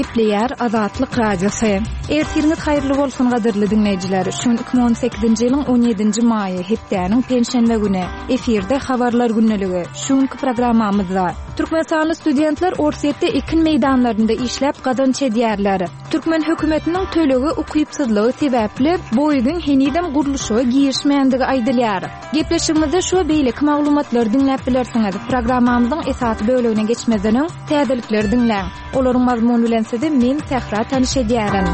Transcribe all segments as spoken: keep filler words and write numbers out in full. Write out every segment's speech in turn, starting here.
Gepleýär Azatlyk Radiosy. Ertiriňiz haýyrly bolsun gadyrly diňleýjiler. Şu gün iki müň on sekizinji ýylyň on ýedinji maýy, hepdäniň penşenbe güni. Efirde habarlar gündeligi. Şu günki programmamyzda Türkmenistanly studentler Orsýetde ekin meýdanlarynda işläp gazanç edýärler. Türkmen hökümetiniň tölege ukypsyzlygy sebäpli Boeing henizem gurluşyga girişmändigi aýdylýar. Gepleşigimizde şu we beýleki maglumatlary diňläp bilersiňiz. Programmamyzyň esasy bölegine geçmezden öň täzelikleri diňläň. Olaryň mazmuny bilen sizi men Sähra tanyş edýärin.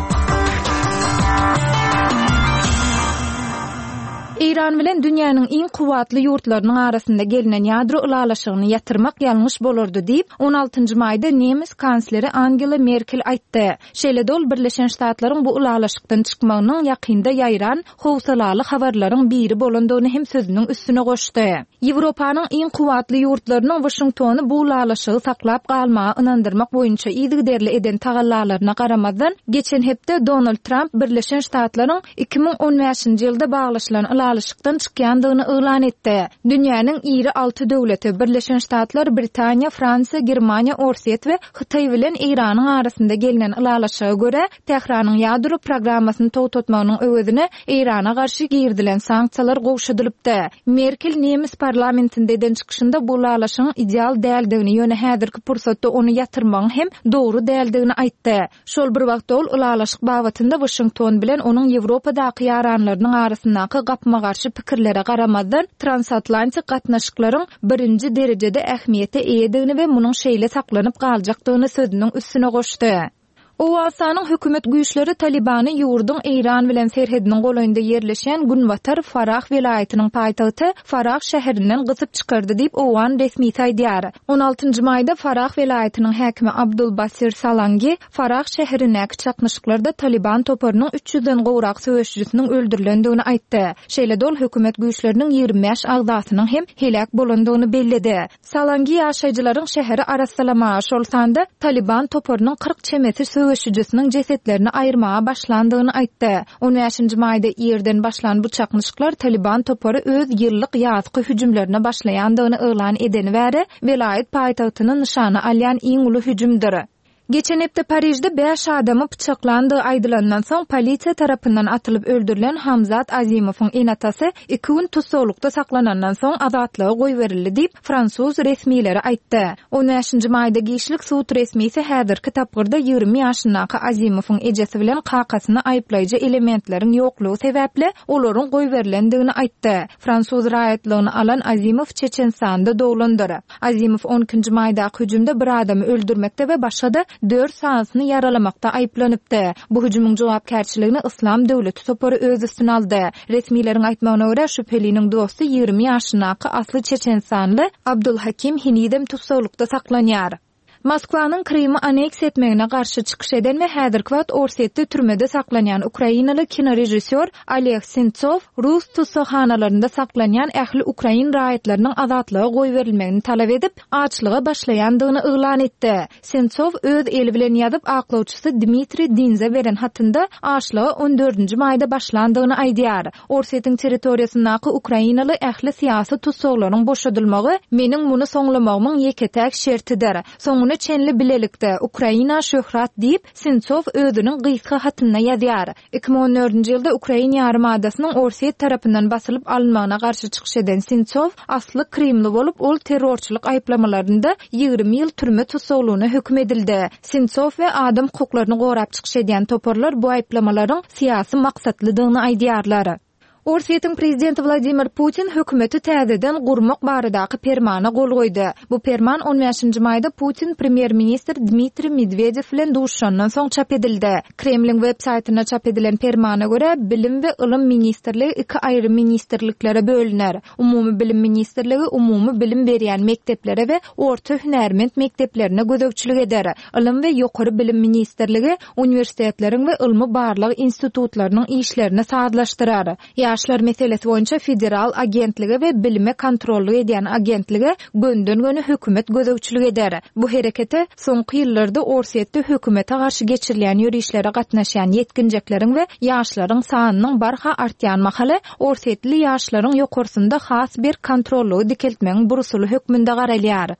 Eýran bilen dünýäniň iň kuwwatly ýurtlarynyň arasynda gelinen ýadro ylalaşygyny ýatyrmak ýalňyş bolardy diýip, on altynjy maýda nemes kansleri Angela Merkel aýtdy. Şeýle-de ol Birleşen Ştatlaryň bu ylalaşykdan çykmagynyň ýakynda ýaýran howsalaly habarlaryň biri bolandygyny hem sözüniň üstüne goşdy. Ýewropanyň iň kuwwatly ýurtlarynyň Waşingtony bu ylalaşygy saklap galmaga ynandyrmak boýunça yzygiderli eden tagallalaryna garamazdan, geçen hepde Donald Trump Birleşen Ştatlaryň iki müň on bäşinji ýylda baglaşylan ylalaşykdan çykýandygyny yglan etdi. Dünýäniň iri alty döwleti Birleşen Ştatlar, Britaniýa, Fransiýa, Germaniýa, Orsýet we Hytaý bilen Eýranyň arasynda gelinen ylalaşyga görä, Tähranyň ýadro programmasyny togtatmagynyň öwezine Eýrana garşy girizilen sanksiýalar gowşadylypdy. Merkel nemes parlamentinde eden çykyşynda bu ylalaşygyň ideal däldigini, ýöne häzirki pursatda ony ýatyrmagyň hem dogry däldigini aýtdy. Şol bir wagtda ol ylalaşyk babatynda Waşington bilen onuň Ýewropadaky ýaranlarynyň arasyndaky gapma-garşy pikirlere garamazdan transatlantik gatnaşyklaryň birinji derejede ähmiýete eýedigini we munuň şeýle saklanyp galjakdygyny sözüniň üstüne goşdy. Owganystanyň hökümet güýçleri Talibany ýurduň Eýran bilen serhediniň golaýynda ýerleşýän Günbatar Farah welaýatynyň paýtagty Farah şäherinden gysyp çykardy diýip Owgan resmisi aýdýar. On altynjy maýda Farah welaýatynyň häkimi Abdul Basir Salangi Farah şäherindäki çaknyşyklarda Taliban toparynyň üç ýüzden gowrak söweşijisiniň öldürilendigini aýtdy. Şeýle-de ol hökümet güýçleriniň ýigrimi bäş agzasynyň hem heläk bolandygyny belledi. Salangi ýaşaýjylaryň şäheri arassalamaga, şol sanda Taliban toparynyň kyrk çemesi söweşijisiniň jesetlerini aýyrmaga başlandygyny aýtdy. On bäşinji maýda ýerden başlan bu çaknyşyklar Taliban topary öz ýyllyk ýazky hüjümlerine başlaýandygyny yglan edeni bäri welaýat paýtagtyny nyşana alýan iň uly hüjümdir. Geçen hepde Parižde bäş adamy pyçaklandygy aýdylandan soň polisiýa tarapyndan atylyp öldürilen Hamzat Azimowyň ene-atasy iki gün tussaglykda saklanandan soň azatlyga goýberildi diýip fransuz resmileri aýtdy. On bäşinji maýda giçlik sud resmisi häzirki tapgyrda ýigrimi ýaşyndaky Azimowyň ejesi bilen kakasyny aýyplaýjy elementleriň ýoklugy sebäpli olaryň goýberilendigini aýtdy. Fransuz raýatlygyny alan Azimow Çeçenistanda doglandyr. Azimow on ikinji maýdaky hüjümde bir adamy öldürmekde we başga-da dört sanysyny ýaralamakda aýyplanypdy. Bu hüjümiň jogapkärçiligini Islam döwleti topary öz üstüne aldy. Resmileriň aýtmagyna görä, şübheliniň dosty ýigrimi ýaşyndaky asly Çeçenistanly Abdulhakim henizem tussaglykda saklanýar. Moskwanyň Krymy aneksiýa etmegine garşy çykyş eden we häzirki wagt Orsýetde türmede saklanýan ukrainaly kinorežissýor Oleg Sentsov rus tussaghanalarynda saklanýan ähli ukrain raýatlarynyň azatlyga goýberilmegini talap edip, açlyga başlaýandygyny yglan etdi. Sentsov öz eli bilen ýazyp aklawçysy Dmitriý Dinze beren hatynda açlyga on dördünji maýda başlandygyny aýdýar. Orsýetiň territoriýasyndaky ukrainaly ähli syýasy tussaglaryň boşadylmagy meniň muny soňlamagymyň ýeke-täk şertidir. Soňuna çenli bilelikde Ukraina şöhrat diýip Sentsov özüniň gysga hatynda ýazýar. Iki müň on dördünji ýylda Ukrain ýarymadasynyň Orsýet tarapyndan basylyp alynmagyna garşy çykyş eden Sentsov asly Krymly bolup, ol terrorçylyk aýyplamalarynda ýigrimi ýyl türme tussaglygyna höküm edildi. Sentsov we adam hukuklaryny gorap çykyş edýän toparlar bu aýyplamalaryň syýasy maksatlydygyny aýdýarlar. Orsýetiň prezidenti Wladimir Putin hökümeti täzeden gurmak baradaky permana gol goýdy. Bu perman on bäşinji maýda Putin premýer-ministr Dmitriý Medvedev bilen duşandan soň çap edildi. Kremliň web saýtynda çap edilen permana görä, Bilim we Ylym ministrligi iki aýry ministrliklere bölüner. Umumy Bilim ministrligi umumy bilim berýän mekdeplere we orta hünärment mekdeplerine gözegçilik eder. Ylym we Ýokary Bilim ministrligi uniwersitetleriň we ylmy barlag institutlarynyň işlerini sazlaşdyrar. Ýaşlar meselesi boýunça federal agentlige we bilime kontrollyk edýän agentlige gönden-göni hökümet gözegçilik eder. Bu herekete soňky ýyllarda Orsýetde hökümete garşy geçirilýän ýörişlere gatnaşýan ýetginjekleriň we ýaşlaryň sanynyň barha artýan mahaly Orsýetli ýaşlaryň ýokarsynda has bir kontrollygy dikeltmegiň bir usuly hökmünde garalýar.